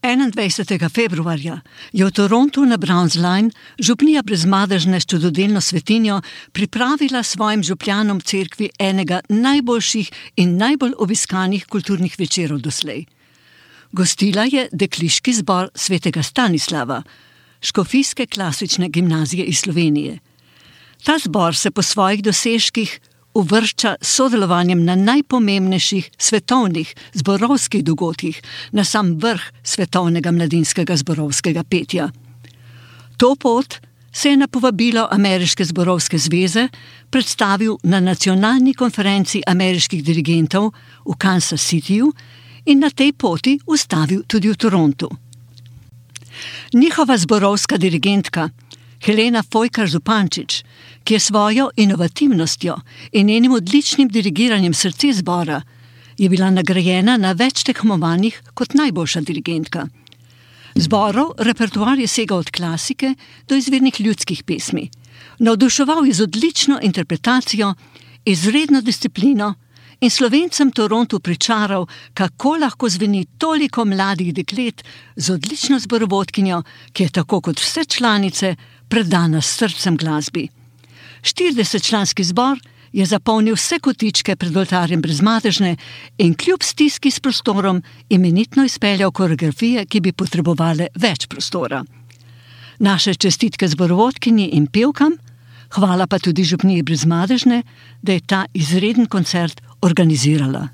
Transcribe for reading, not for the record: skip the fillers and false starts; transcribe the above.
21. februarja je v Torontu na Browns Line župnija Brezmadežne s čudodelno svetinjo pripravila svojim župljanom cerkvi enega najboljših in najbolj obiskanih kulturnih večerov doslej. Gostila je dekliški zbor svetega Stanislava, škofijske klasične gimnazije iz Slovenije. Ta zbor se po svojih dosežkih uvršča s sodelovanjem na najpomembnejših svetovnih zborovskih dogodkih na sam vrh svetovnega mladinskega zborovskega petja. To pot se je na povabilo Ameriške zborovske zveze predstavil na nacionalni konferenci ameriških dirigentov v Kansas Cityju in na tej poti ustavil tudi v Torontu. Njihova zborovska dirigentka Helena Fojkar-Zupančič, ki je svojo inovativnostjo in njenim odličnim dirigiranjem srce zbora, je bila nagrajena na več tekmovanjih kot najboljša dirigentka. Zborov repertoar je segal od klasike do izvirnih ljudskih pesmi. Navduševal je z odlično interpretacijo, izredno disciplino in Slovencem Torontu pričaral, kako lahko zveni toliko mladih deklet z odlično zborovodkinjo, ki je tako kot vse članice predana s srcem glasbi. 40-članski zbor je zapolnil vse kotičke pred oltarjem Brezmadežne in kljub stiski s prostorom imenitno izpeljal koreografije, ki bi potrebovale več prostora. Naše čestitke zborovodkinji in pevkam, hvala pa tudi župniji Brezmadežne, da je ta izreden koncert organizirala.